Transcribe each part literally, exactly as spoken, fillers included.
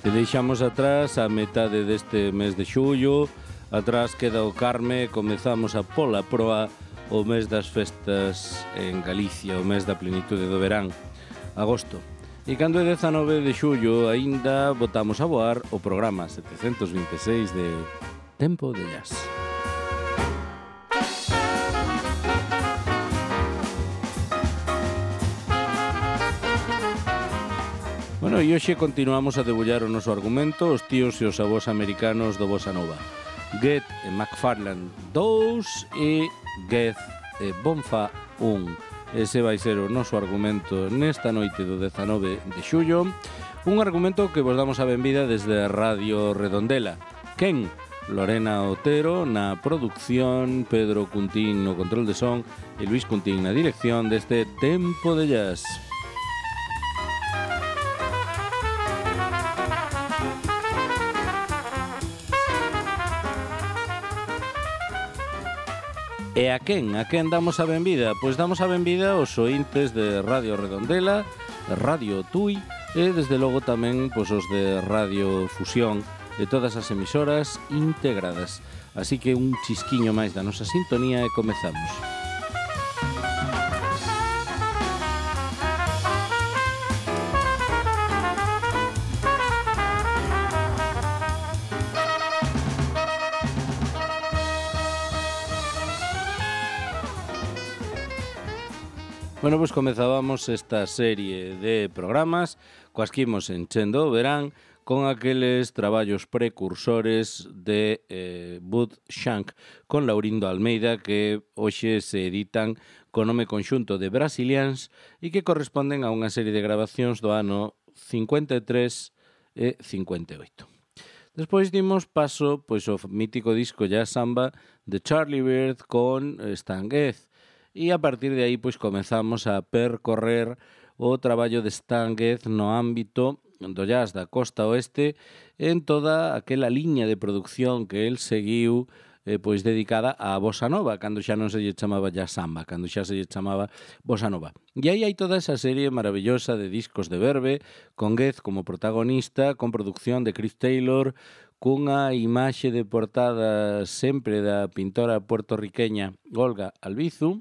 E deixamos atrás a metade deste mes de xullo, atrás queda o Carme, comezamos a pola proa o mes das festas en Galicia, o mes da plenitude do verán, agosto. E cando é dezanove de xullo, aínda botamos a voar o programa setecentos vinte e seis de Tempo de Jazz. Bueno, e hoxe continuamos a debullar o noso argumento, os tíos e os avós americanos do Bossa Nova. Goethe e McFarlane dous e Goethe e Bonfa un. Ese vai ser o noso argumento nesta noite do dezanove de xullo. Un argumento que vos damos a benvida desde Radio Redondela. Quen? Lorena Otero na producción, Pedro Cuntín no control de son e Luis Cuntín na dirección deste Tempo de Jazz. E a quen? A quen damos a benvida? Pois damos a benvida aos ointes de Radio Redondela, Radio Tui e, desde logo, tamén pois, os de Radio Fusión e todas as emisoras integradas. Así que un chisquiño máis da nosa sintonía e comezamos. Bueno, pois comezábamos esta serie de programas coas que imos enchendo o verán con aqueles traballos precursores de eh, Bud Shank con Laurindo Almeida que hoxe se editan co nome conxunto de Brasilians e que corresponden a unha serie de grabacións do ano cincuenta e tres e cincuenta e oito. Despois dimos paso pois, ao mítico disco Jazz Samba de Charlie Byrd con Stan Getz. E a partir de aí pois comezamos a percorrer o traballo de Stan Getz no ámbito do jazz da costa oeste en toda aquela liña de producción que el seguiu eh, pois dedicada á bossa nova, cando xa non se lle chamaba jazz samba, cando xa se lle chamaba bossa nova. E aí hai toda esa serie maravillosa de discos de Verve, con Getz como protagonista, con producción de Chris Taylor, cunha imaxe de portada sempre da pintora puertorriqueña Olga Albizu,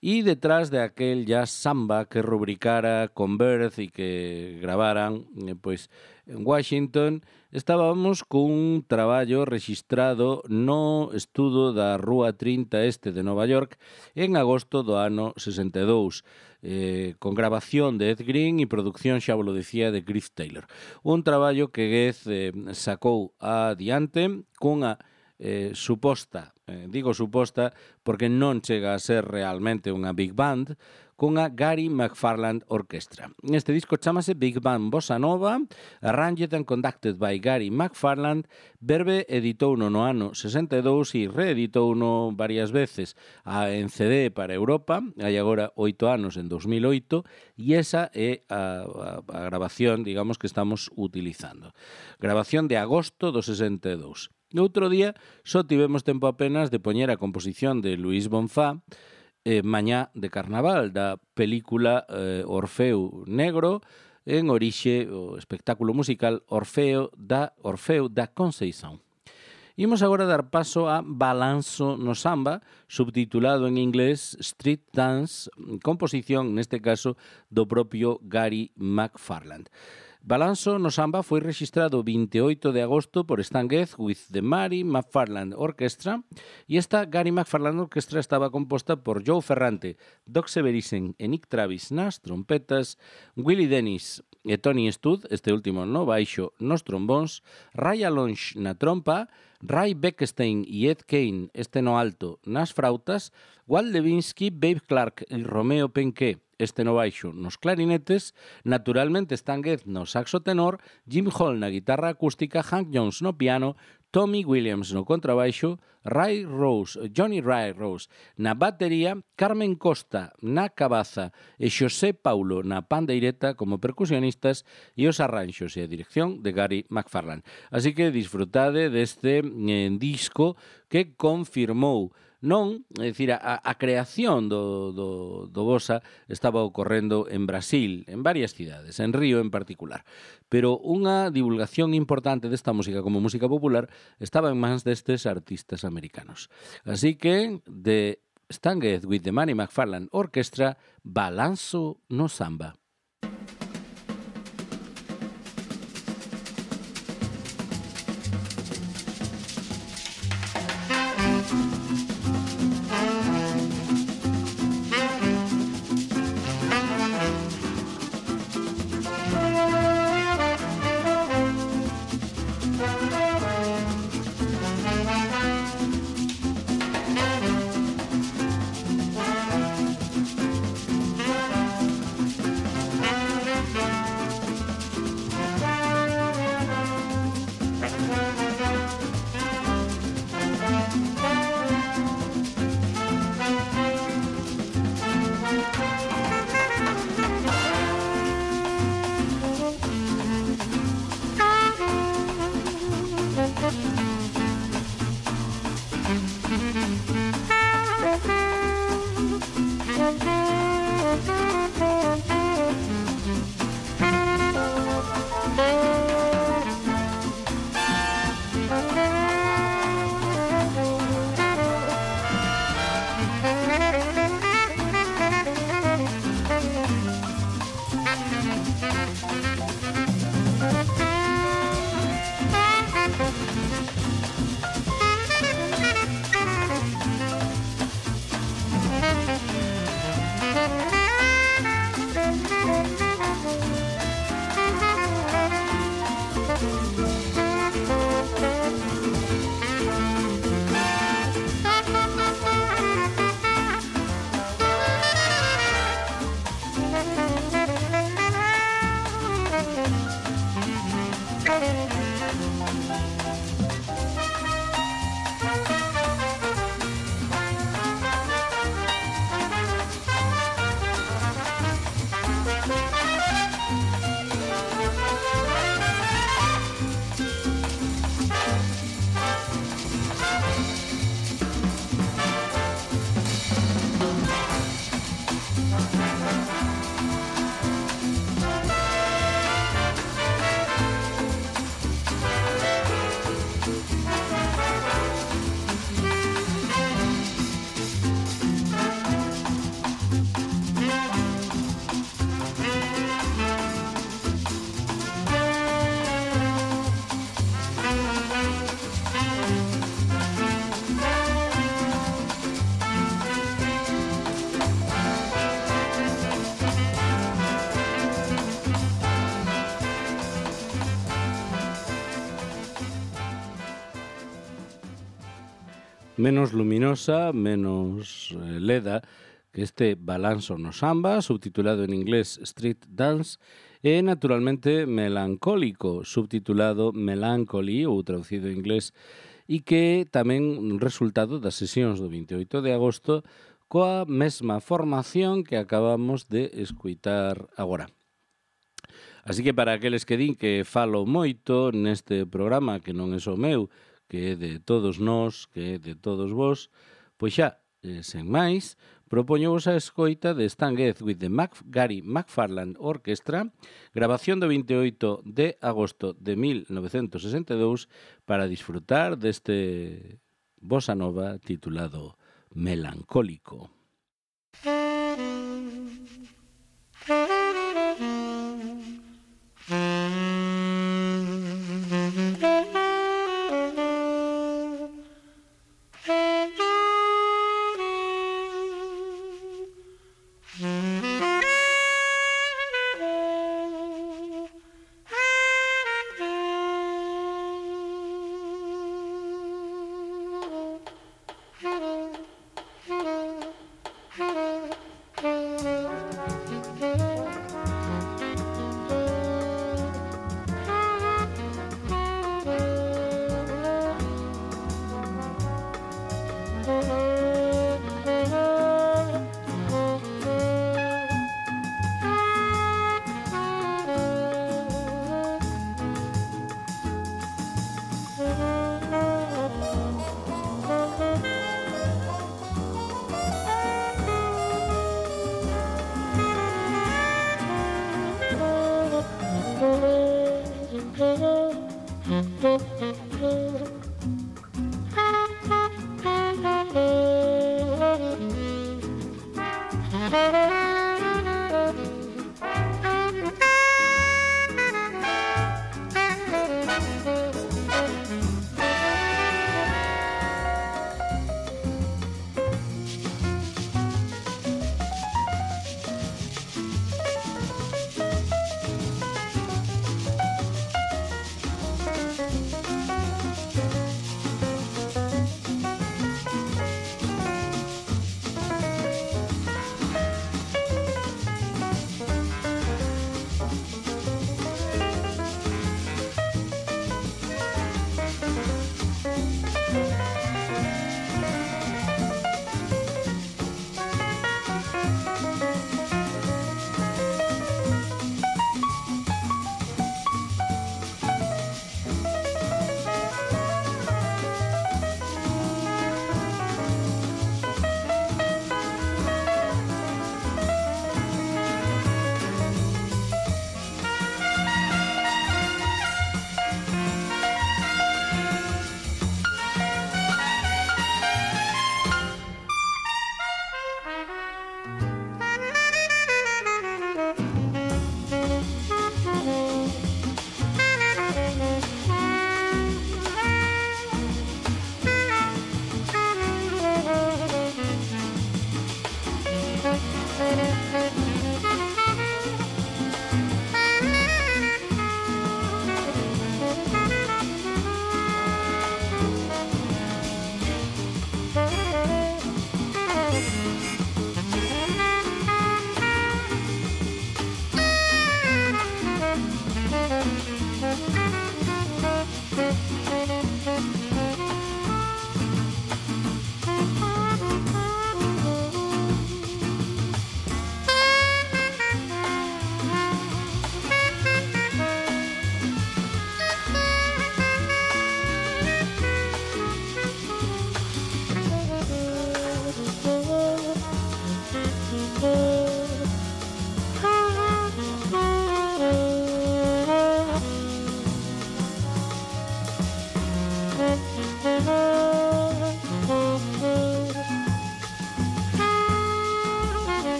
e detrás de aquel jazz samba que rubricara con Byrd e que gravaran eh, pois, en Washington, estábamos cun traballo rexistrado no estudo da Rúa trinta Este de Nova York en agosto do ano sesenta e dous, eh, con grabación de Ed Green e producción, xa vos lo decía, de Chris Taylor. Un traballo que Getz eh, sacou adiante cunha Eh, suposta, eh, digo suposta porque non chega a ser realmente unha big band, cunha Gary McFarland Orchestra. Este disco chamase Big Band Bossa Nova, arranged and conducted by Gary McFarland. Verve editouno no ano sesenta e dous e reeditouno varias veces a, en C D para Europa, hai agora oito anos, en dos mil oito, e esa é a, a, a grabación, digamos, que estamos utilizando. Grabación de agosto do sesenta e dous. No outro día só tivemos tempo apenas de poñer a composición de Luis Bonfa, eh, Mañá de Carnaval, da película eh, Orfeo Negro, en orixe o espectáculo musical Orfeo da Orfeo da Conceição. Imos agora dar paso a Balanço no Samba, subtitulado en inglés Street Dance, composición, neste caso, do propio Gary McFarland. Balanço no Samba foi registrado vinte e oito de agosto por Stan Getz with the Gary McFarland Orchestra, e esta Gary McFarland Orchestra estaba composta por Joe Ferrante, Doc Severissen e Nick Travis nas trompetas, Willie Dennis e Tony Stud, este último no baixo, nos trombóns, Ray Alonge na trompa, Ray Beckstein e Ed Kane, este no alto, nas frautas, Walt Levinsky, Babe Clark e Romeo Penquet, este no baixo, nos clarinetes, naturalmente Stan Getz no saxo tenor, Jim Hall na guitarra acústica, Hank Jones no piano, Tommy Williams no contrabaixo, Ray Rose, Johnny Ray Rose na batería, Carmen Costa na cabaza e Xosé Paulo na pandeireta como percusionistas e os arranxos e a dirección de Gary McFarland. Así que disfrutade deste eh, disco que confirmou Non, é dicir, a, a creación do, do, do bossa estaba ocorrendo en Brasil, en varias cidades, en Río en particular. Pero unha divulgación importante desta música como música popular estaba en mans destes artistas americanos. Así que, de Stanged with the Manny McFarland Orchestra, Balanço no Samba. Menos luminosa, menos eh, leda que este Balanço no Samba, subtitulado en inglés Street Dance, e naturalmente melancólico, subtitulado Melancholy ou traducido en inglés, e que tamén resultado das sesións do veintioito de agosto coa mesma formación que acabamos de escuitar agora. Así que para aqueles que din que falo moito neste programa, que non é só meu, que é de todos nós, que é de todos vos, pois xa, eh, sen máis, propoñovos a escoita de Stanged with the Mac Gary McFarland Orchestra, grabación do veintioito de agosto de mil novecentos sesenta e dous, para disfrutar deste bossa nova titulado Melancólico.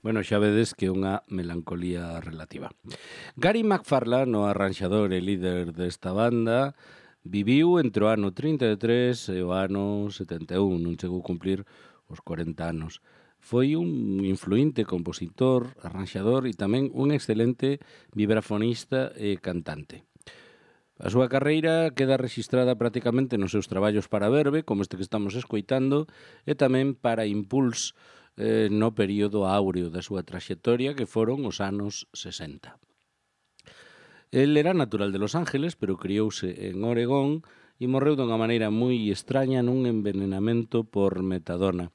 Bueno, xa vedes que é unha melancolía relativa. Gary McFarlane, o arranxador e líder desta banda, viviu entre o ano trinta e tres e o ano setenta e un, non chegou a cumplir os corenta anos. Foi un influinte compositor, arranxador e tamén un excelente vibrafonista e cantante. A súa carreira queda rexistrada prácticamente nos seus traballos para Verve, como este que estamos escoitando, e tamén para Impulse, eh, no período áureo da súa traxectoria, que foron os anos sesenta. El era natural de Los Ángeles, pero criouse en Oregón e morreu dunha maneira moi extraña nun envenenamento por metadona.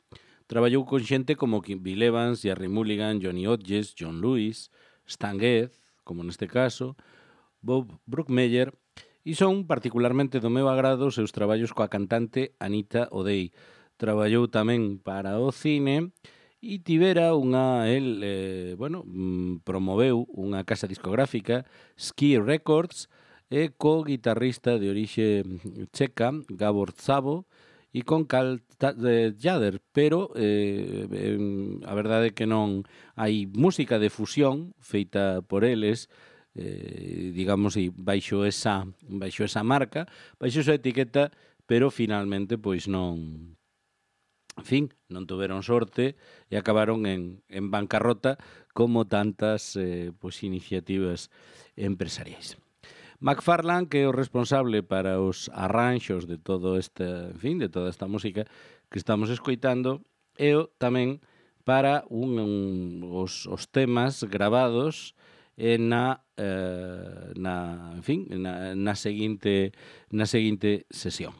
Traballou con xente como Bill Evans, Jerry Mulligan, Johnny Hodges, John Lewis, Stan Getz, como neste caso, Bob Brookmeyer, e son particularmente do meu agrado os seus traballos coa cantante Anita O'Day. Traballou tamén para o cine e tivera unha, el, eh, bueno, promoveu unha casa discográfica, Ski Records, e co guitarrista de orixe checa, Gabor Szabo, e con Carl Jader, pero eh, a verdade é que non hai música de fusión feita por eles, eh, digamos, e baixo esa, baixo esa marca, baixo esa etiqueta, pero finalmente pois non en fin, non tuveron sorte e acabaron en, en bancarrota como tantas eh, pues, iniciativas empresariais. McFarlane, que é o responsable para os arranxos de todo esta, en fin, de toda esta música que estamos escoitando, e o tamén para un, un, os, os temas gravados e na, eh, na, en fin, na, na seguinte na seguinte sesión.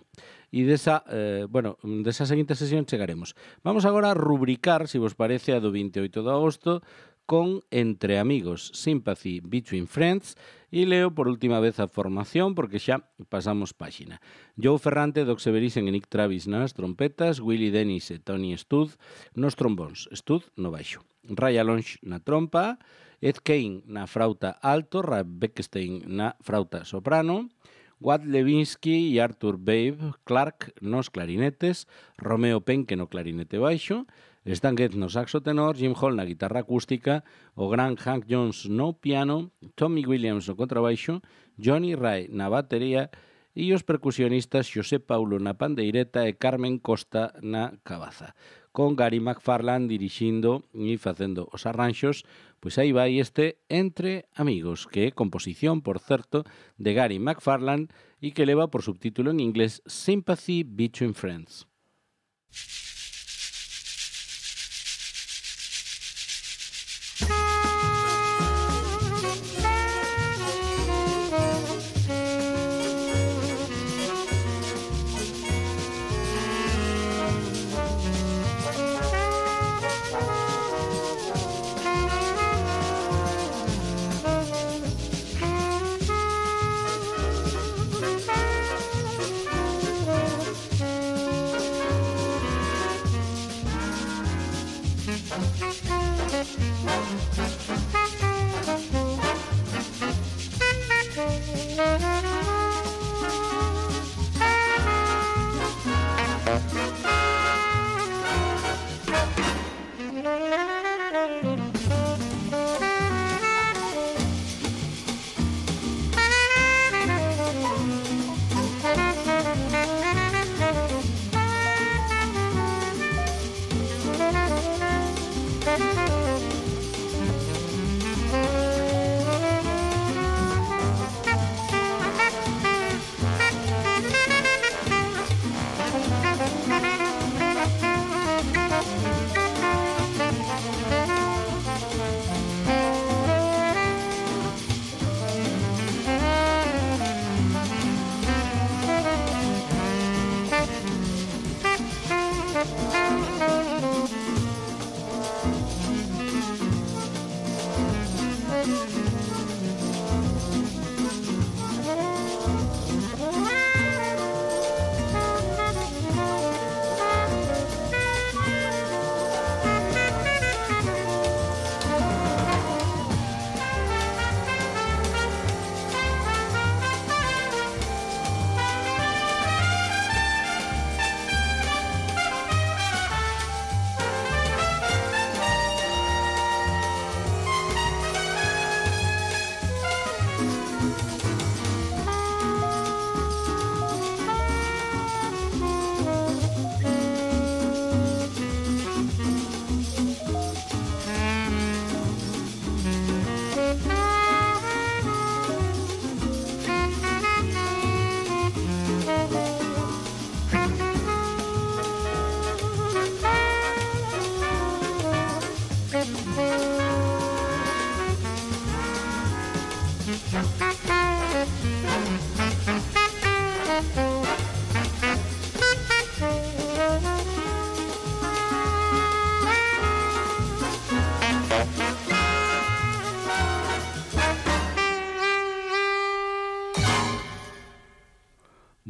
E desa, eh, bueno, desa seguinte sesión chegaremos. Vamos agora a rubricar, se vos parece, a do veintioito de agosto con Entre Amigos, Sympathy Between Friends, e leo por última vez a formación porque xa pasamos páxina. Joe Ferrante, Doc Severissen e Nick Travis nas trompetas, Willie Dennis e Tony Stud nos trombóns, Stud no baixo, Ray Alonge na trompa, Ed Kane na frauta alto, Ray Beckstein na frauta soprano, Watt Levinsky e Arthur Babe Clark nos clarinetes, Romeo Penke no clarinete baixo, Stan Getz no saxo tenor, Jim Hall na guitarra acústica, o gran Hank Jones no piano, Tommy Williams no contrabaixo, Johnny Ray na batería e os percusionistas Xosé Paulo na pandeireta e Carmen Costa na cabaza. Con Gary McFarlane dirixindo e facendo os arranxos, pois aí vai este Entre Amigos, que é composición, por certo, de Gary McFarlane e que leva por subtítulo en inglés Sympathy Between Friends.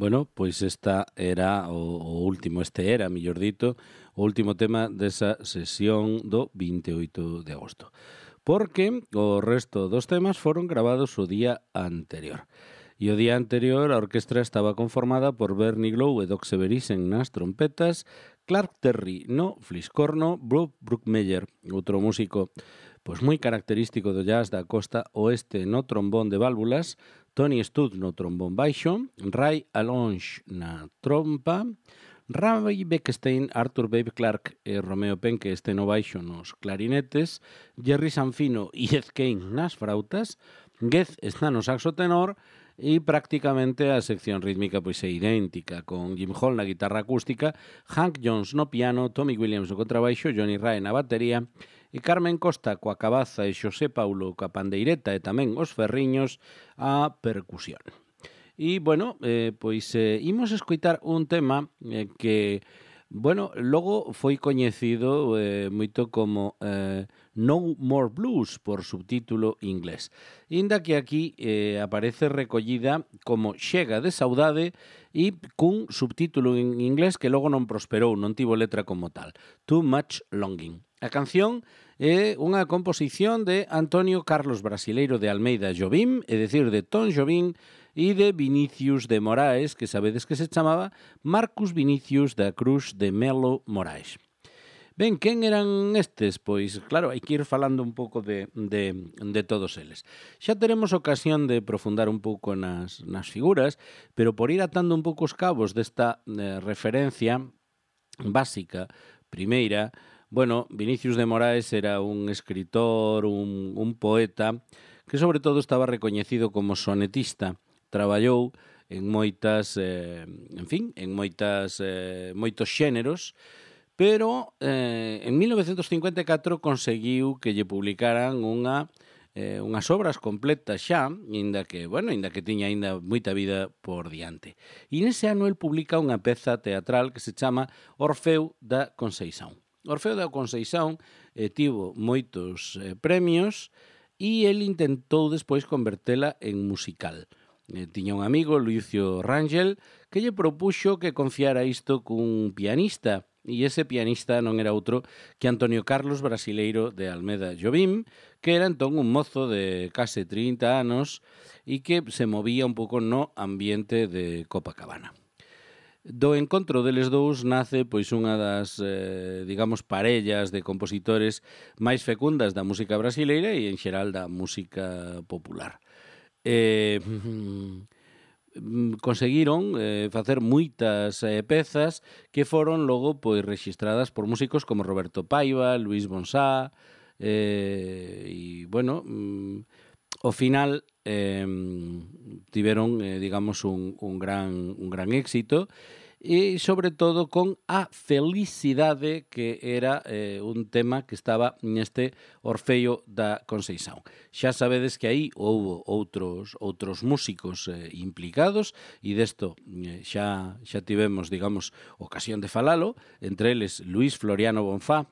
Bueno, pois esta era o, o último, este era, mellor dito, o último tema desa sesión do veintioito de agosto. Porque o resto dos temas foron gravados o día anterior. E o día anterior a orquestra estaba conformada por Bernie Glow e Doc Severissen nas trompetas, Clark Terry no fliscorno, Bob Brookmeyer, outro músico pois moi característico do jazz da costa oeste no trombón de válvulas, Tony Stud no trombón baixo, Ray Alonge na trompa, Ravi Beckstein, Arthur Babe Clark e Romeo Penque este no baixo nos clarinetes, Jerry Sanfino e Ed Kane nas frautas, Gez está no saxo tenor e prácticamente a sección rítmica pois é idéntica, con Jim Hall na guitarra acústica, Hank Jones no piano, Tommy Williams no contrabaixo, Johnny Ray na batería e Carmen Costa coa cabaza e Xosé Paulo coa pandeireta e tamén os ferriños a percusión. E, bueno, eh, pois eh, imos escoitar un tema eh, que, bueno, logo foi coñecido eh, moito como eh, No More Blues por subtítulo inglés. Inda que aquí eh, aparece recollida como Chega de Saudade e cun subtítulo en inglés que logo non prosperou, non tivo letra como tal. Too Much Longing. A canción é unha composición de Antonio Carlos Brasileiro de Almeida Jobim, é dicir, de Tom Jobim, e de Vinicius de Moraes, que sabedes que se chamaba Marcus Vinicius da Cruz de Melo Moraes. Ben, quen eran estes? Pois, claro, hai que ir falando un pouco de, de, de todos eles. Xa teremos ocasión de profundar un pouco nas, nas figuras, pero por ir atando un pouco os cabos desta eh, referencia básica, primeira, bueno, Vinicius de Moraes era un escritor, un, un poeta, que sobre todo estaba recoñecido como sonetista. Traballou en moitas, eh, en fin, en moitas, eh, moitos xéneros, pero eh, en mil novecentos cincuenta e catro conseguiu que lle publicaran unha, eh, unhas obras completas xa, inda que, bueno, inda que tiña aínda moita vida por diante. E nese ano el publica unha peza teatral que se chama Orfeo da Conceição. Orfeo da Conceição eh, tivo moitos eh, premios e el intentou despois convertela en musical. Eh, tiña un amigo, Lucio Rangel, que lle propuxo que confiara isto cun pianista, e ese pianista non era outro que Antonio Carlos Brasileiro de Almeida Jobim, que era entón un mozo de case trinta anos e que se movía un pouco no ambiente de Copacabana. Do encontro deles dous nace pois unha das, eh, digamos, parellas de compositores máis fecundas da música brasileira e en xeral da música popular. Eh, conseguiron eh, facer moitas eh, pezas que foron logo pois rexistradas por músicos como Roberto Paiva, Luis Bonsá eh, e, bueno, mm, ao final eh, tiveron, eh, digamos, un, un, gran, un gran éxito e, sobre todo, con a felicidade, que era eh, un tema que estaba neste Orfeo da Conceição. Xa sabedes que aí houve outros outros músicos eh, implicados e desto eh, xa xa tivemos, digamos, ocasión de falalo, entre eles Luis Floriano Bonfá,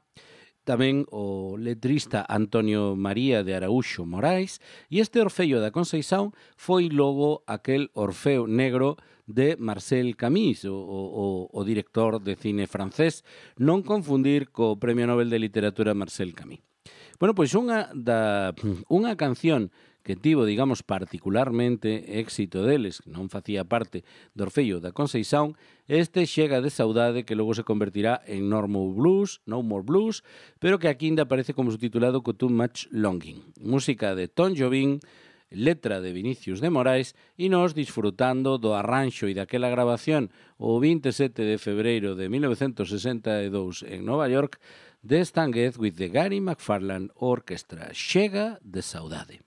tamén o letrista Antonio María de Araúxo Morais, e este Orfeo da Conceição foi logo aquel Orfeo negro de Marcel Camus, o, o, o director de cine francés, non confundir co Premio Nobel de Literatura Marcel Camus. Bueno, pois unha, da, unha canción que tivo, digamos, particularmente éxito deles, que non facía parte do Orfeo da Conceição, este Chega de Saudade, que logo se convertirá en No More Blues, No More Blues, pero que aquí ainda aparece como subtitulado co Too Much Longing. Música de Tom Jobim, letra de Vinicius de Moraes, e nos disfrutando do arranxo e daquela grabación o vinte e sete de febreiro de mil novecentos sesenta e dous en Nova York, de Stan Getz with the Gary McFarlane Orchestra, Chega de Saudade.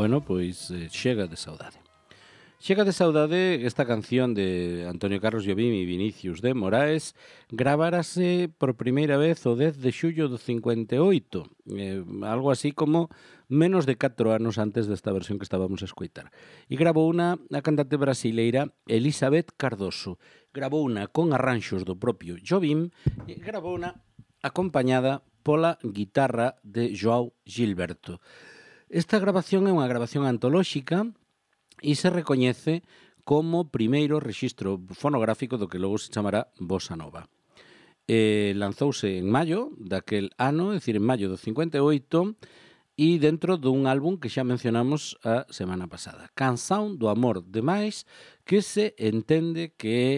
Bueno, pois eh, Chega de saudade. Chega de saudade, esta canción de Antonio Carlos Jobim e Vinicius de Moraes gravárase por primeira vez o dez de xullo do cincuenta e oito, eh, algo así como menos de catro anos antes desta versión que estábamos a escoitar. E gravou unha a cantante brasileira Elizabeth Cardoso. Gravou unha con arranxos do propio Jobim e gravou unha acompañada pola guitarra de João Gilberto. Esta grabación é unha grabación antolóxica e se recoñece como primeiro rexistro fonográfico do que logo se chamará Bossa Nova. Eh, lanzouse en maio daquel ano, é dicir, en maio do cincuenta e oito, e dentro dun álbum que xa mencionamos a semana pasada, Canção do Amor Demais, que se entende que é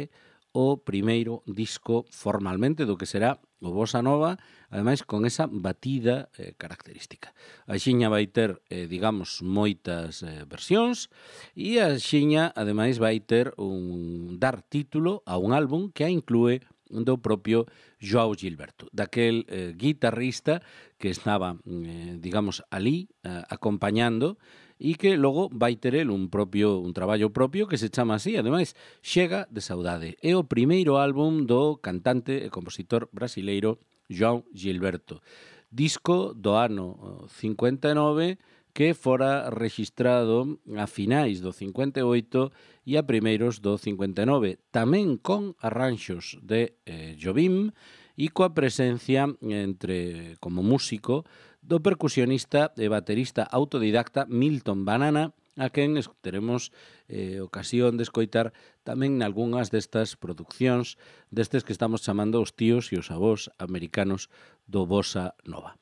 o primeiro disco formalmente do que será o Bossa Nova, ademais con esa batida eh, característica. A xiña vai ter, eh, digamos, moitas eh, versións e a xiña, ademais, vai ter un dar título a un álbum que a inclúe do propio João Gilberto, daquel eh, guitarrista que estaba, eh, digamos, ali eh, acompañando e que logo vai ter el un propio un traballo propio que se chama así, ademais, Chega de saudade. É o primeiro álbum do cantante e compositor brasileiro João Gilberto. Disco do ano cincuenta e nove que fora registrado a finais do cincuenta e oito e a primeiros do cincuenta e nove, tamén con arranxos de eh, Jobim e coa presencia entre como músico do percusionista e baterista autodidacta Milton Banana, a quen teremos eh, ocasión de escoitar tamén nalgúnas destas produccións destes que estamos chamando os tíos e os avós americanos do Bossa Nova.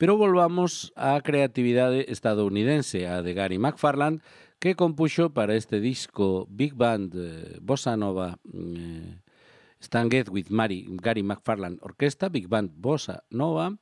Pero volvamos á creatividade estadounidense, a de Gary McFarland, que compuxo para este disco Big Band eh, Bossa Nova eh, Stanged with Mary, Gary McFarland Orquesta, Big Band Bossa Nova,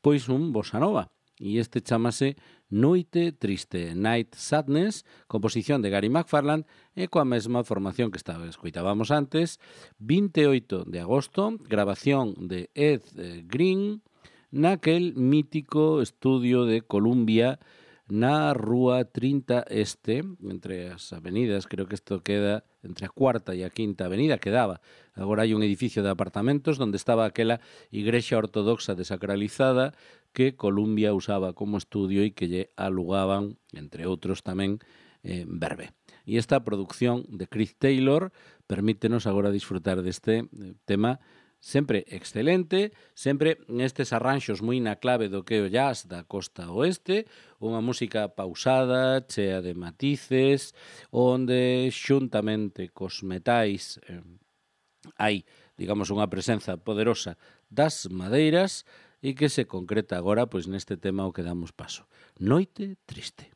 pois un Bossa Nova. E este chamase Noite Triste, Night Sadness, composición de Gary McFarland e coa mesma formación que estaba escoitábamos antes, vinte e oito de agosto, grabación de Ed eh, Green, naquel mítico estudio de Columbia na Rúa trinta Este, entre as avenidas, creo que isto queda entre a cuarta e a quinta avenida, quedaba. Agora hai un edificio de apartamentos onde estaba aquela igrexa ortodoxa desacralizada que Columbia usaba como estudio e que lle alugaban, entre outros tamén, eh, Verbe. E esta produción de Chris Taylor permítenos agora disfrutar deste eh, tema sempre excelente, sempre nestes arranxos moi na clave do que é o jazz da costa oeste, unha música pausada, chea de matices, onde xuntamente cos metais eh, hai, digamos, unha presenza poderosa das madeiras e que se concreta agora pois neste tema ao que damos paso. Noite Triste.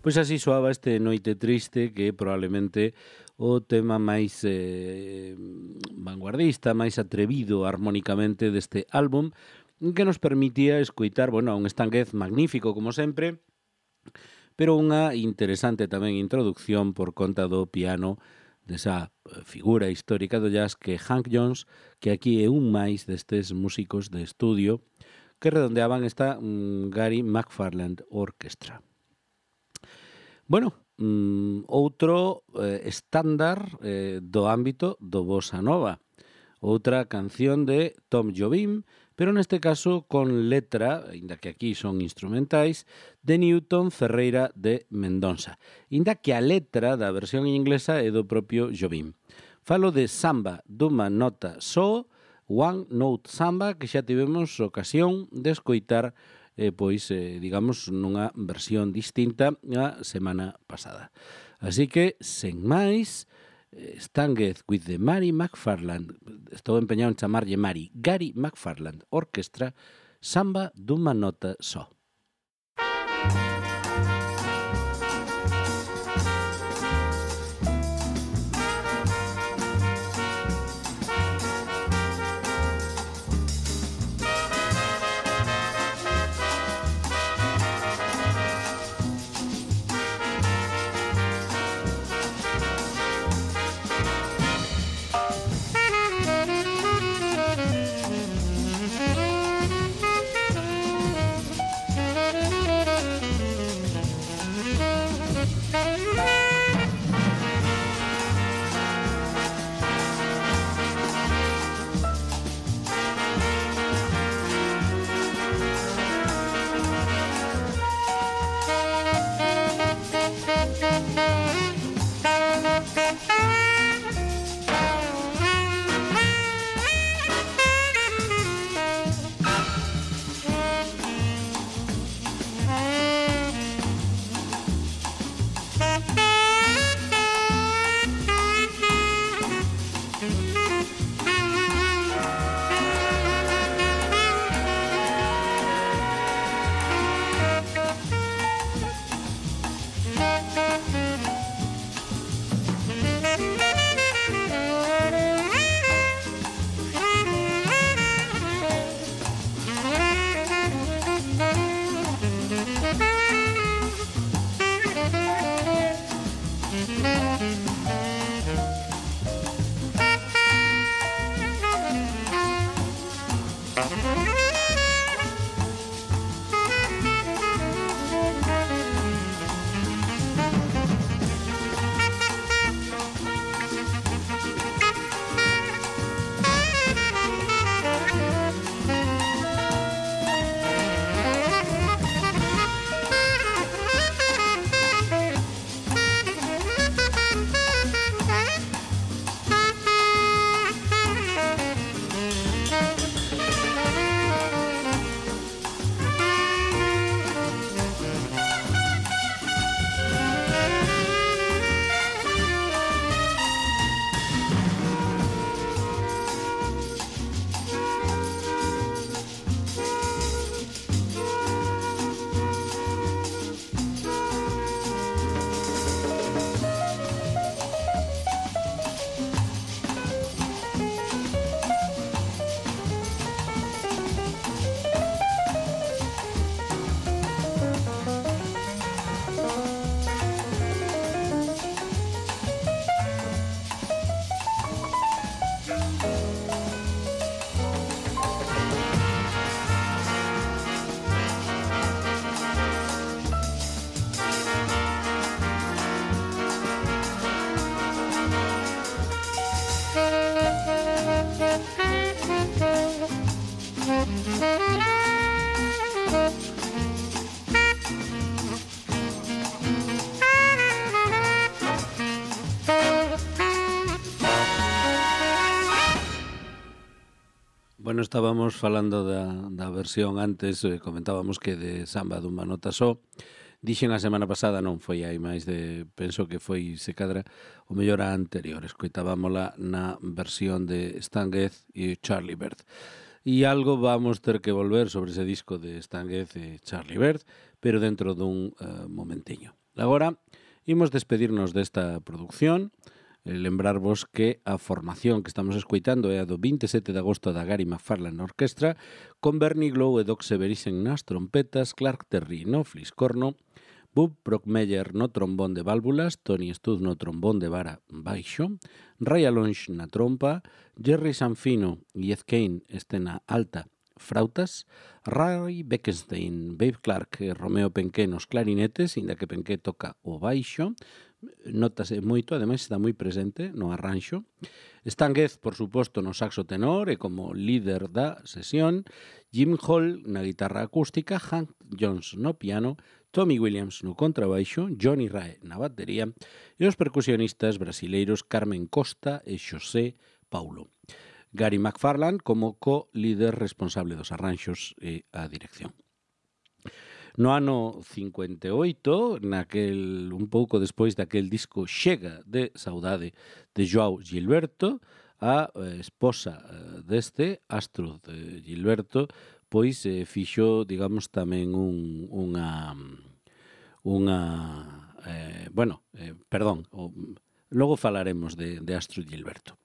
Pois así soaba este Noite Triste, que é probablemente o tema máis eh, vanguardista, máis atrevido armónicamente deste álbum, que nos permitía escoitar, bueno, un Stan Getz magnífico, como sempre, pero unha interesante tamén introducción por conta do piano desa figura histórica do jazz que é Hank Jones, que aquí é un máis destes músicos de estudio que redondeaban esta um, Gary McFarland Orchestra. Bueno, um, outro eh, estándar eh, do ámbito do bossa nova, outra canción de Tom Jobim, pero neste caso con letra, inda que aquí son instrumentais, de Newton Ferreira de Mendonça, inda que a letra da versión inglesa é do propio Jobim. Falo de Samba dunha nota só, One Note Samba, que xa tivemos ocasión de escoitar, eh, pois, eh, digamos, nunha versión distinta a semana pasada. Así que, sen máis, Stan Getz with the Mary McFarland, estou empeñado en chamarlle Mary, Gary McFarland Orchestra, Samba dunha nota só. Bueno, estábamos falando da, da versión antes, eh, comentábamos que de Samba dunha nota só. Dixen a semana pasada, non foi aí máis de, penso que foi se cadra o mellor a anterior, escoitábamola na versión de Stan Getz e Charlie Byrd. E algo vamos ter que volver sobre ese disco de Stan Getz e Charlie Byrd, pero dentro dun uh, momentiño. Agora, imos despedirnos desta produción, eh, lembrarvos que a formación que estamos escoitando é a do vinte e sete de agosto da Gary McFarlane Orquestra, con Bernie Glow e Doc Severissen nas trompetas, Clark Terry no fliscorno, Bob Brockmeyer no trombón de válvulas, Tony Stud no trombón de vara baixo, Ray Alonge na trompa, Jerry Sanfino e Ed Kane este na alta frautas, Ray Beckenstein, Babe Clark e Romeo Penqué nos clarinetes, inda que Penqué toca o baixo, notase moito, ademais está moi presente no arranxo. Stan Getz, por suposto, no saxo tenor e como líder da sesión, Jim Hall na guitarra acústica, Hank Jones no piano, Tommy Williams no contrabaixo, Johnny Rae na batería e os percusionistas brasileiros Carmen Costa e Xosé Paulo. Gary McFarlane como co-líder responsable dos arranxos e a dirección. No ano cincuenta e oito, naquel, un pouco despois daquel disco Chega de Saudade de Joao Gilberto, a esposa deste, Astrud Gilberto, pois eh, fixo, digamos, tamén un, unha... unha eh, bueno, eh, perdón, o, logo falaremos de, de Astrud Gilberto.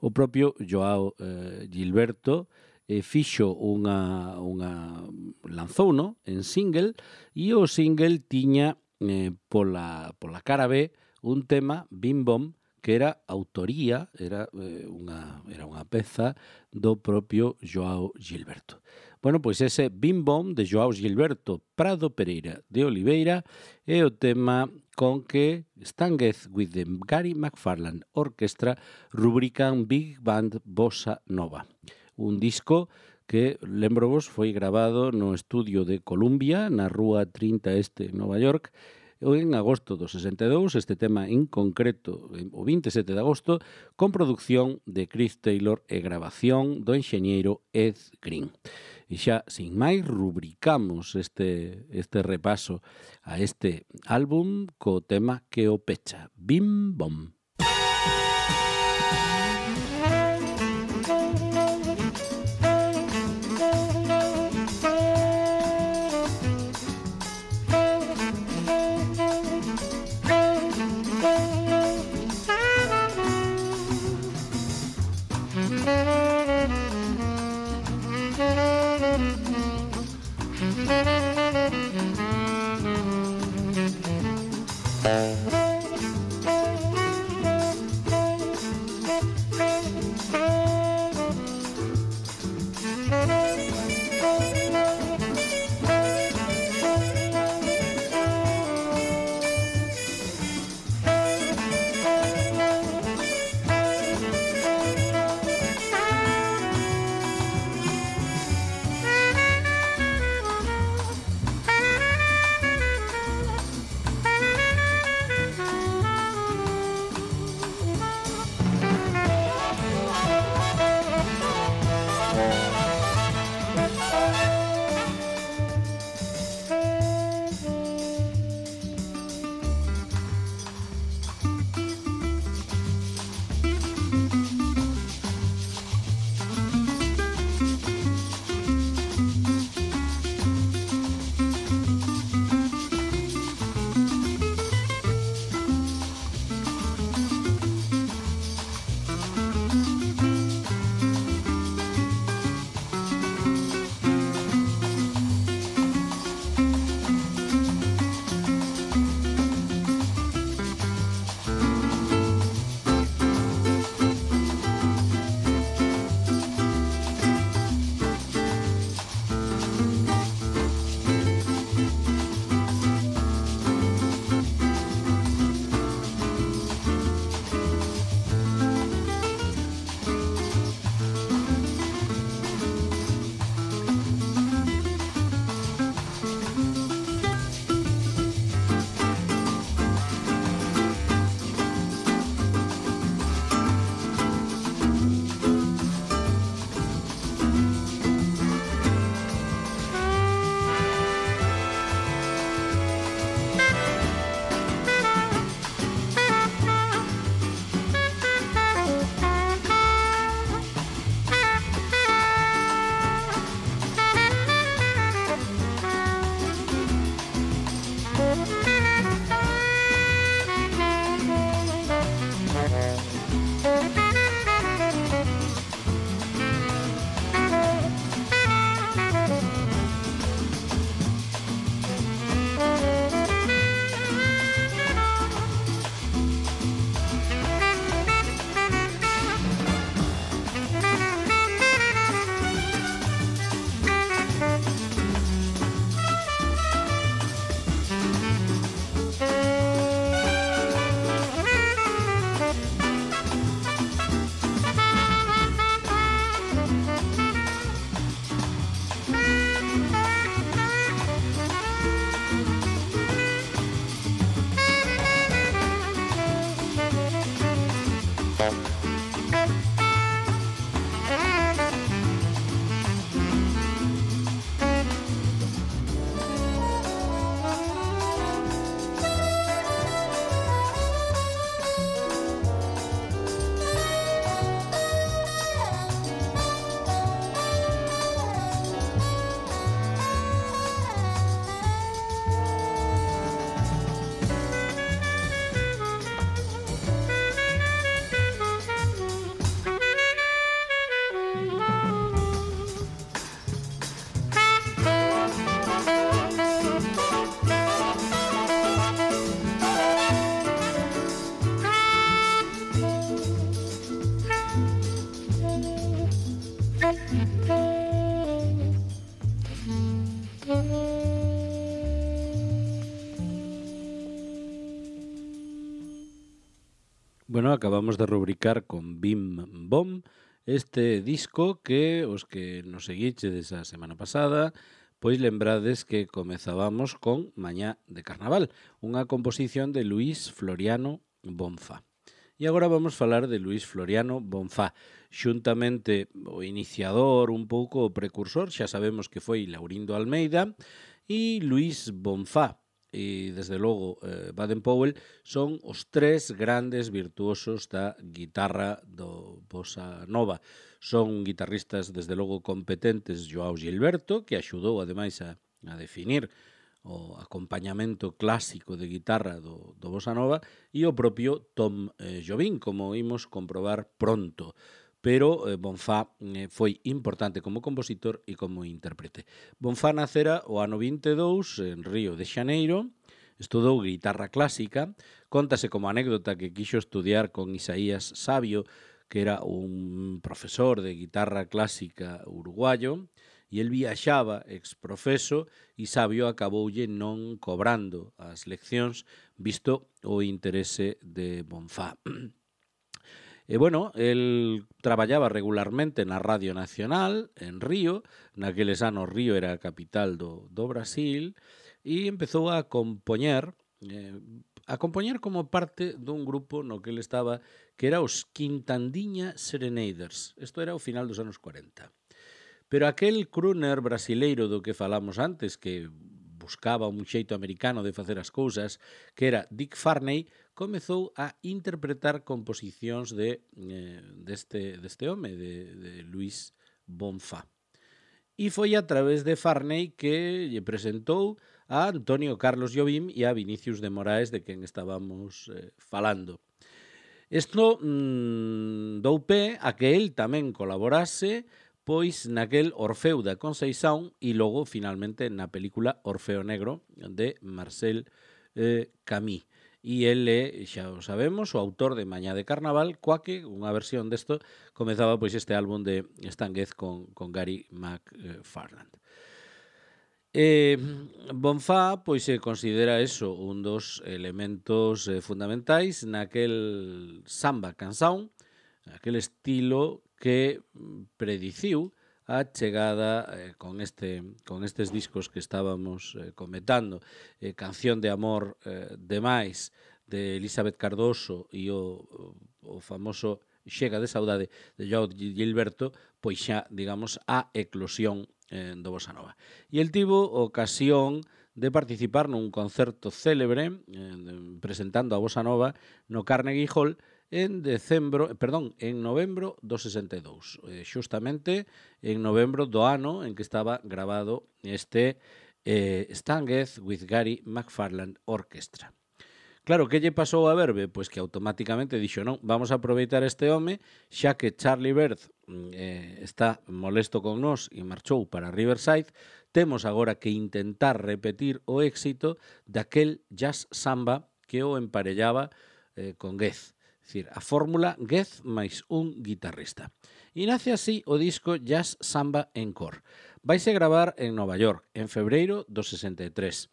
O propio Joao eh, Gilberto eh, fixo unha, unha lanzouno en single e o single tiña eh, pola, pola cara B un tema, Bim Bom, que era autoría, era, eh, unha, era unha peza do propio Joao Gilberto. Bueno, pois ese Bim Bom de Joao Gilberto Prado Pereira de Oliveira é o tema con que Stan Getz with the Gary McFarlane Orquestra rubrican Big Band Bossa Nova. Un disco que, lembrovos, foi grabado no estudio de Columbia, na rúa trinta Este, Nova York, en agosto do sesenta e dous, este tema en concreto, o vinte e sete de agosto, con produción de Chris Taylor e grabación do enxeñeiro Ed Green. E xa, sin máis, rubricamos este, este repaso a este álbum co tema que o pecha, Bim Bom. Bueno, acabamos de rubricar con Bim Bom este disco que os que nos seguiches a semana pasada pois lembrades que comezábamos con Mañá de Carnaval, unha composición de Luís Floriano Bonfá. E agora vamos falar de Luís Floriano Bonfá, xuntamente o iniciador, un pouco o precursor, xa sabemos que foi Laurindo Almeida, e Luís Bonfá, e desde logo eh, Baden-Powell, son os tres grandes virtuosos da guitarra do bossa nova. Son guitarristas desde logo competentes, Joao Gilberto, que axudou ademais a, a definir o acompañamento clásico de guitarra do, do bossa nova, e o propio Tom eh, Jobim, como imos comprobar pronto. Pero eh, Bonfá eh, foi importante como compositor e como intérprete. Bonfá nacera o ano vinte e dous en Río de Xaneiro, estudou guitarra clásica, contase como anécdota que quixo estudiar con Isaías Sabio, que era un profesor de guitarra clásica uruguayo, e el viaxaba exprofeso e Sabio acaboulle non cobrando as leccións visto o interese de Bonfá. E, bueno, el traballaba regularmente na Radio Nacional, en Río, naqueles anos Río era a capital do, do Brasil, e empezou a compoñer, eh, a compoñer como parte dun grupo no que ele estaba, que era os Quintandiña Serenaders. Isto era o final dos anos cuarenta. Pero aquel crooner brasileiro do que falamos antes, que buscaba un xeito americano de facer as cousas, que era Dick Farney, comezou a interpretar composicións de, eh, deste, deste home, de, de Luís Bonfá. E foi a través de Farney que lle presentou a Antonio Carlos Jobim e a Vinicius de Moraes, de quen estábamos eh, falando. Isto mmm, dou pé a que el tamén colaborase pois naquel Orfeu da Conceição e logo, finalmente, na película Orfeo Negro de Marcel eh, Camus. E el é, xa o sabemos, o autor de Mañá de Carnaval, coa que unha versión desto comezaba pois este álbum de Stan Getz con, con Gary McFarland. Eh, Bonfá pois se considera eso un dos elementos eh, fundamentais naquel samba canção, aquel estilo que prediciu a chegada eh, con este con estes discos que estábamos eh, comentando, eh, Canción de Amor eh, demais de Elizabeth Cardoso e o, o famoso Chega de Saudade de Joao Gilberto, pois xa, digamos, a eclosión eh, do bossa nova. E el tivo ocasión de participar nun concerto célebre eh, presentando a bossa nova no Carnegie Hall en decembro, perdón, en novembro do sesenta e dous, eh, xustamente en novembro do ano en que estaba grabado este eh, Stan Getz with Gary McFarland Orchestra. Claro, que lle pasou a Verbe? Pois que automáticamente dixo, non, vamos a aproveitar este home, xa que Charlie Bird eh, está molesto con nós e marchou para Riverside, temos agora que intentar repetir o éxito daquel jazz samba que o emparellaba eh, con Getz. É dicir, a fórmula Getz máis un guitarrista. E nace así o disco Jazz Samba Encore. Vaise gravar en Nova York, en febreiro do sesenta e tres.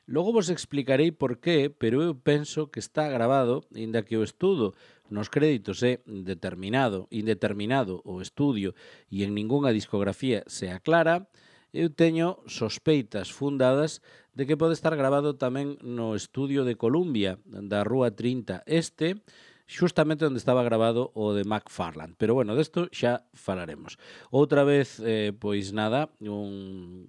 Logo vos explicarei por qué, pero eu penso que está grabado, inda que o estudo nos créditos é determinado, indeterminado o estudio e en ningunha discografía se aclara, eu teño sospeitas fundadas de que pode estar grabado tamén no estudio de Columbia, da Rúa trinta Este, xustamente onde estaba grabado o de McFarland. Pero bueno, desto xa falaremos. Outra vez, eh, pois nada, un...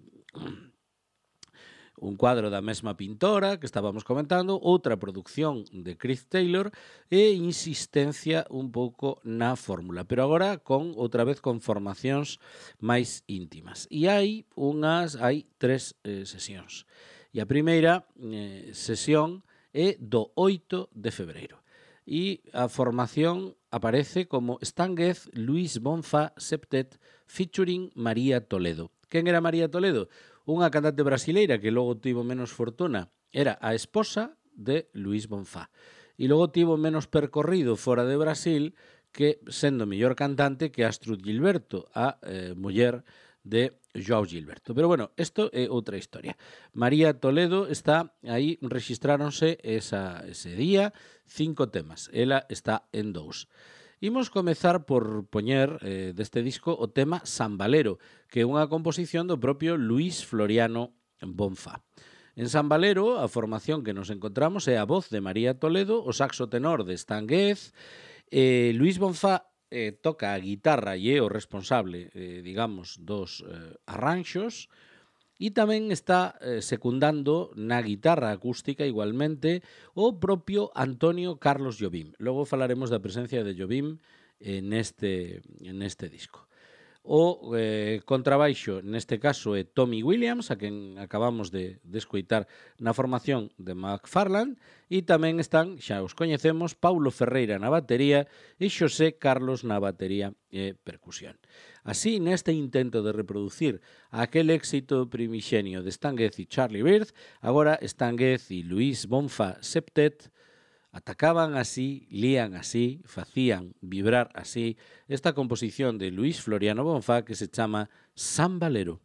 un cuadro da mesma pintora que estábamos comentando, outra produción de Chris Taylor e insistencia un pouco na fórmula, pero agora con outra vez con formacións máis íntimas. E hai unhas, hai tres eh, sesións. E a primeira eh, sesión é do oito de febreiro. E a formación aparece como Stan Getz, Luís Bonfá Septet featuring María Toledo. Quen era María Toledo? Unha cantante brasileira que logo tivo menos fortuna. Era a esposa de Luís Bonfá. E logo tivo menos percorrido fora de Brasil que sendo mellor cantante que Astrud Gilberto, a eh, muller de Joao Gilberto. Pero bueno, isto é outra historia. María Toledo está aí, rexistráronse esa, ese día cinco temas. Ela está en dous. Imos comezar por poñer eh, deste disco o tema Sambalero, que é unha composición do propio Luis Floriano Bonfá. En Sambalero, a formación que nos encontramos é a voz de María Toledo, o saxo tenor de Stan Getz, eh, Luis Bonfá eh, toca a guitarra e é o responsable, eh, digamos, dos eh, arranxos, e tamén está eh, secundando na guitarra acústica igualmente o propio Antonio Carlos Jobim. Logo falaremos da presencia de Jobim eh, neste, neste disco. O eh, contrabaixo, neste caso, é Tommy Williams, a quen acabamos de, de escoitar na formación de McFarlane, e tamén están, xa os coñecemos, Paulo Ferreira na batería e Xosé Carlos na batería e percusión. Así, neste intento de reproducir aquel éxito primixenio de Stan Getz e Charlie Byrd, agora Stan Getz e Luis Bonfá Septet atacaban así, lían así, facían vibrar así esta composición de Luis Floriano Bonfá que se chama Sambalero.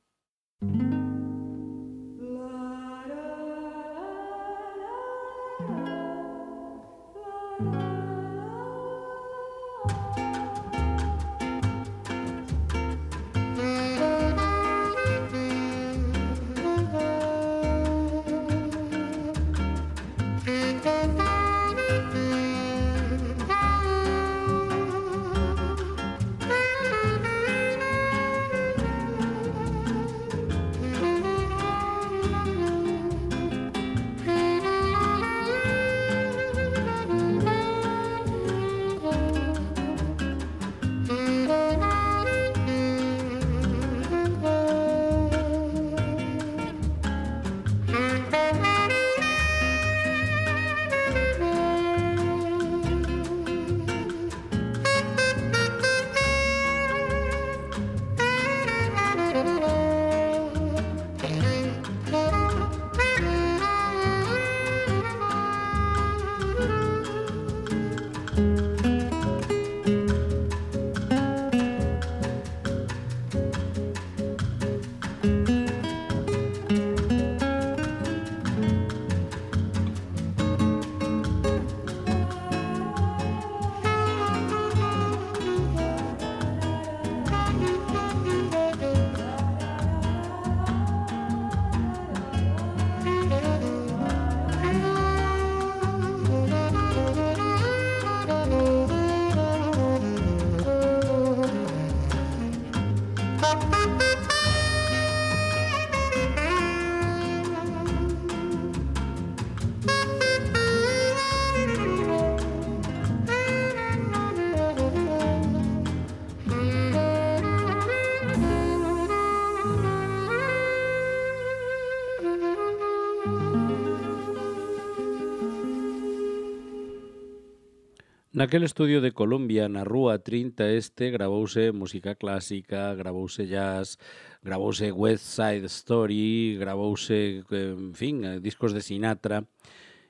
Naquele estudio de Colombia, na Rúa trinta Este, gravouse música clásica, gravouse jazz, gravouse West Side Story, gravouse, en fin, discos de Sinatra.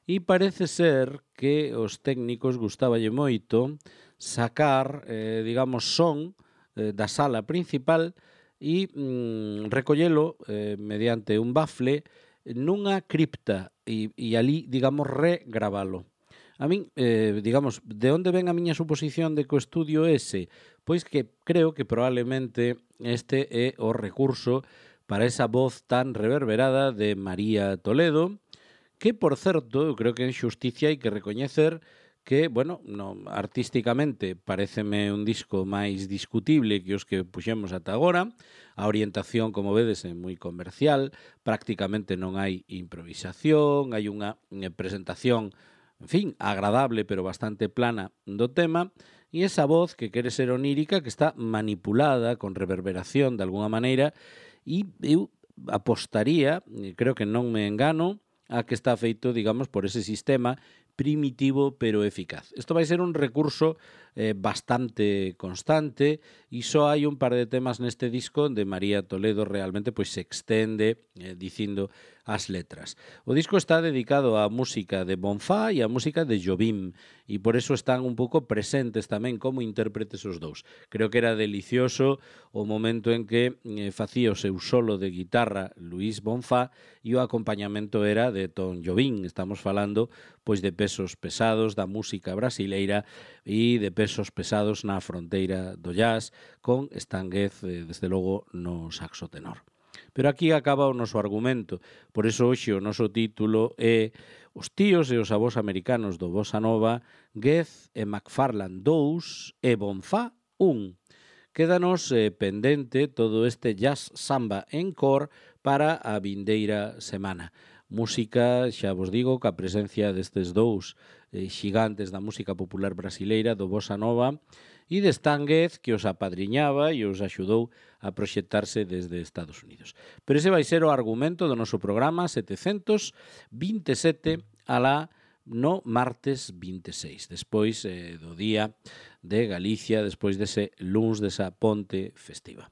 E parece ser que os técnicos gustaballe moito sacar, eh, digamos, son eh, da sala principal e mm, recollelo eh, mediante un bafle nunha cripta e, e ali, digamos, regravalo. A min, eh, digamos, de onde ven a miña suposición de que o estudio ese? Pois que creo que probablemente este é o recurso para esa voz tan reverberada de María Toledo, que, por certo, eu creo que en xusticia hai que recoñecer que, bueno, no, artísticamente pareceme un disco máis discutible que os que puxemos ata agora. A orientación, como vedes, é moi comercial, prácticamente non hai improvisación, hai unha presentación, en fin, agradable, pero bastante plana do tema, e esa voz que quere ser onírica, que está manipulada con reverberación de alguna maneira, e eu apostaría, creo que non me engano, a que está feito, digamos, por ese sistema primitivo pero eficaz. Isto vai ser un recurso eh, bastante constante, e só hai un par de temas neste disco onde María Toledo realmente pois se extende eh, dicindo as letras. O disco está dedicado á música de Bonfá e á música de Jobim, e por eso están un pouco presentes tamén como intérpretes os dous. Creo que era delicioso o momento en que eh, facía o seu solo de guitarra Luís Bonfá e o acompañamento era de Tom Jobim. Estamos falando pois de pesos pesados da música brasileira e de pesos pesados na fronteira do jazz, con Stan Getz, eh, desde logo, no saxo tenor. Pero aquí acaba o noso argumento, por iso hoxe o noso título é Os tíos e os avós americanos do Bossa Nova, Getz e McFarland dous e Bonfá un. Quédanos eh, pendente todo este jazz samba encore para a vindeira semana. Música, xa vos digo, ca presencia destes dous eh, xigantes da música popular brasileira do Bossa Nova e de Stan Getz, que os apadriñaba e os axudou a proxectarse desde Estados Unidos. Pero ese vai ser o argumento do noso programa setecentos vinte e sete alá no martes vinte e seis, despois eh, do Día de Galicia, despois dese luns desa ponte festiva.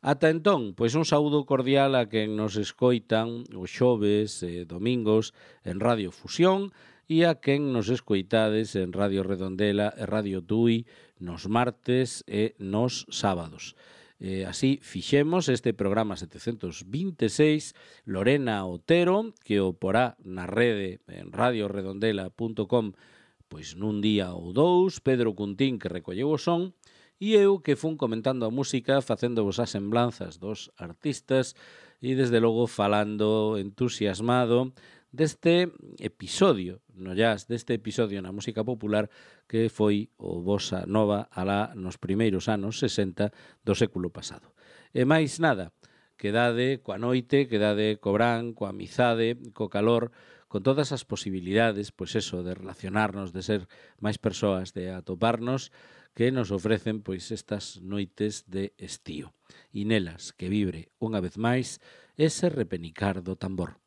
Ata entón, pois un saúdo cordial a quen nos escoitan os xoves e domingos en Radio Fusión e a quen nos escoitades en Radio Redondela e Radio Tui nos martes e nos sábados. Eh, así fixemos este programa setecentos vinte e seis. Lorena Otero, que o porá na rede en radio redondela punto com pois nun día ou dous, Pedro Cuntín, que recolleu o son, e eu que fun comentando a música, facéndovos as semblanzas dos artistas e desde logo falando entusiasmado deste episodio no jazz, deste episodio na música popular que foi o Bossa Nova alá nos primeiros anos sesenta do século pasado. E máis nada, quedade coa noite, quedade co bran, coa amizade, co calor, con todas as posibilidades, pois eso, de relacionarnos, de ser máis persoas, de atoparnos, que nos ofrecen pois estas noites de estío. E nelas que vibre unha vez máis ese repenicar do tambor.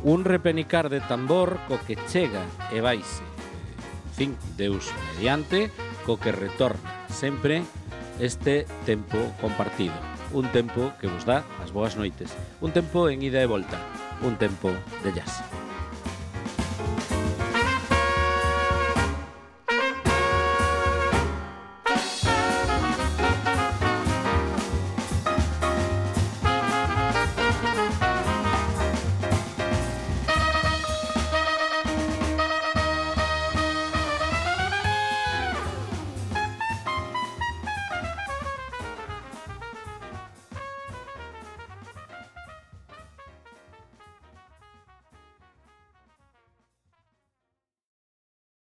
Un repenicar de tambor co que chega e vaise. En fin, Deus mediante, co que retorna sempre este tempo compartido. Un tempo que vos dá as boas noites. Un tempo en ida e volta. Un tempo de jazz.